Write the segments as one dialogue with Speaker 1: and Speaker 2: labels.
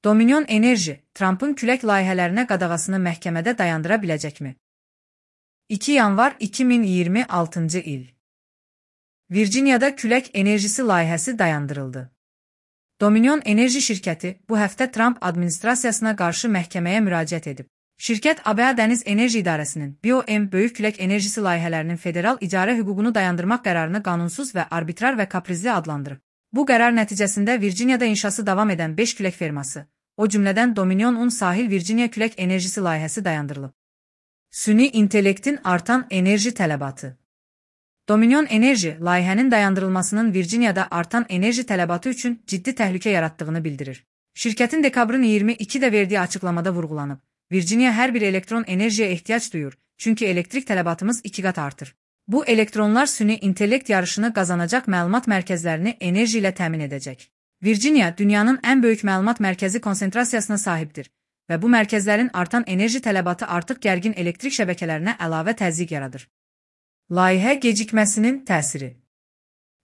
Speaker 1: Dominion Enerji, Trump'ın külək layihələrinə qadağasını məhkəmədə dayandıra biləcəkmi? 2 yanvar 2026-cı il. Virginiyada külək enerjisi layihəsi dayandırıldı. Dominion Enerji şirkəti bu həftə Trump administrasiyasına qarşı məhkəməyə müraciət edib. Şirkət ABA Dəniz Enerji İdarəsinin BOM böyük külək enerjisi layihələrinin federal icarə hüququnu dayandırmaq qərarını qanunsuz və arbitrar və kaprizli adlandırıb. Bu qərar nəticəsində Virginiyada inşası davam edən 5 külək ferması, o cümlədən Dominion Sahil Virginia külək enerjisi layihəsi dayandırılıb. Süni intellektin artan enerji tələbatı. Dominion Enerji, layihənin dayandırılmasının Virginiyada artan enerji tələbatı üçün ciddi təhlükə yaratdığını bildirir. Şirkətin dekabrın 22-də verdiyi açıqlamada vurğulanıb, Virginia hər bir elektron enerjiyə ehtiyac duyur, çünki elektrik tələbatımız 2 qat artır. Bu elektronlar süni intellekt yarışını qazanacaq məlumat mərkəzlərini enerji ilə təmin edəcək. Virginia, dünyanın ən böyük məlumat mərkəzi konsentrasiyasına sahibdir və bu mərkəzlərin artan enerji tələbatı artıq gərgin elektrik şəbəkələrinə əlavə təzyiq yaradır. Layihə gecikməsinin təsiri.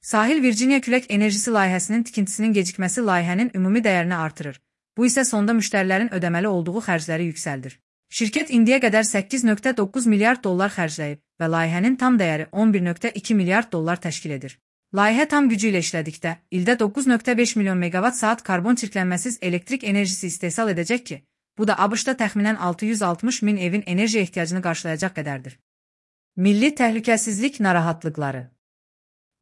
Speaker 1: Sahil Virginia külək enerjisi layihəsinin tikintisinin gecikməsi layihənin ümumi dəyərini artırır. Bu isə sonda müştərilərin ödəməli olduğu xərcləri yüksəldir. Şirkət indiyə qədər 8,9 milyard dollar xərcləyib və layihənin tam dəyəri 11,2 milyard dollar təşkil edir. Layihə tam gücü ilə işlədikdə, ildə 9,5 milyon megawatt saat karbon çirklənməsiz elektrik enerjisi istehsal edəcək ki, bu da ABŞ-da təxminən 660 min evin enerji ehtiyacını qarşılayacaq qədərdir. Milli təhlükəsizlik narahatlıqları.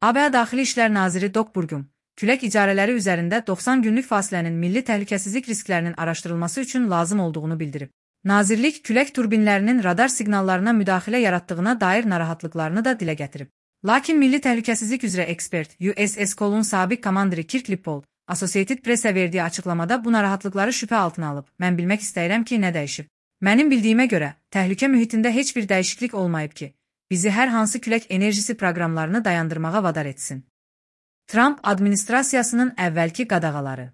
Speaker 1: ABA Daxili İşlər Naziri Doug Burgum, külək icarələri üzərində 90 günlük fasilənin milli təhlükəsizlik risklərinin araşdırılması üçün lazım olduğunu bildirib. Nazirlik, külək turbinlərinin radar siqnallarına müdaxilə yaratdığına dair narahatlıqlarını da dilə gətirib. Lakin Milli Təhlükəsizlik üzrə ekspert USS Cole'un sabiq komandiri Kirk Lippold, Associated Press-ə verdiyi açıqlamada bu narahatlıqları şübhə altına alıb. Mən bilmək istəyirəm ki, nə dəyişib. Mənim bildiyimə görə, təhlükə mühitində heç bir dəyişiklik olmayıb ki, bizi hər hansı külək enerjisi proqramlarını dayandırmağa vadar etsin. Trump administrasiyasının əvvəlki qadağaları.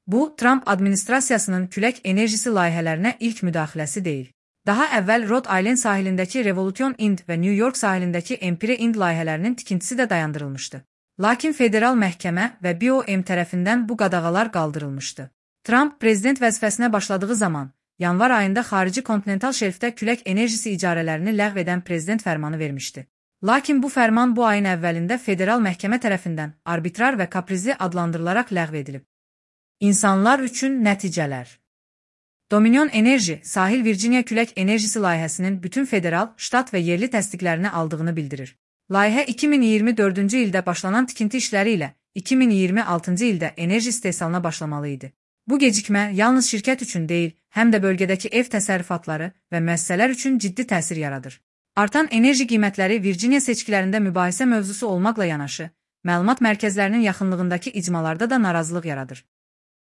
Speaker 1: Bu, Trump administrasiyasının külək enerjisi layihələrinə ilk müdaxiləsi deyil. Daha əvvəl Rhode Island sahilindəki Revolution Ind və New York sahilindəki Empire Ind layihələrinin tikintisi də dayandırılmışdı. Lakin federal məhkəmə və BOM tərəfindən bu qadağalar qaldırılmışdı. Trump prezident vəzifəsinə başladığı zaman, yanvar ayında xarici kontinental şelfdə külək enerjisi icarələrini ləğv edən prezident fərmanı vermişdi. Lakin bu fərman bu ayın əvvəlində federal məhkəmə tərəfindən arbitrar və kaprizli adlandırılaraq ləğv edilib. İnsanlar üçün nəticələr. Dominion Enerji, Sahil Virginia külək enerjisi layihəsinin bütün federal, ştat və yerli təsdiqlərini aldığını bildirir. Layihə 2024-cü ildə başlanan tikinti işləri ilə 2026-cı ildə enerji istehsalına başlamalı idi. Bu gecikmə yalnız şirkət üçün deyil, həm də bölgədəki ev təsərrüfatları və müəssisələr üçün ciddi təsir yaradır. Artan enerji qiymətləri Virginia seçkilərində mübahisə mövzusu olmaqla yanaşı, məlumat mərkəzlərinin yaxınlığındakı icmalarda da narazılıq yaradır.